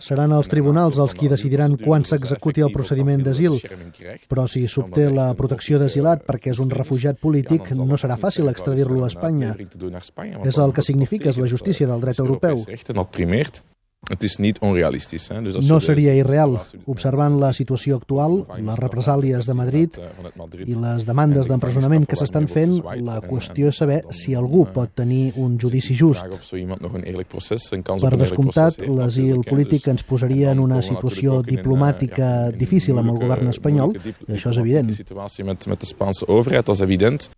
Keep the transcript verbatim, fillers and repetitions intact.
Seran els tribunals els qui decidiran quan s'executi el procediment d'asil, però si s'obté la protecció d'asilat perquè és un refugiat polític, no serà fàcil extradir-lo a Espanya. És el que significa la justícia del dret europeu. No seria irreal. Observant la situació actual, les represàlies de Madrid i les demandes d'empresonament que s'estan fent, la qüestió és saber si algú pot tenir un judici just. Per descomptat, l'asil polític ens posaria en una situació diplomàtica difícil amb el govern espanyol, i això és evident.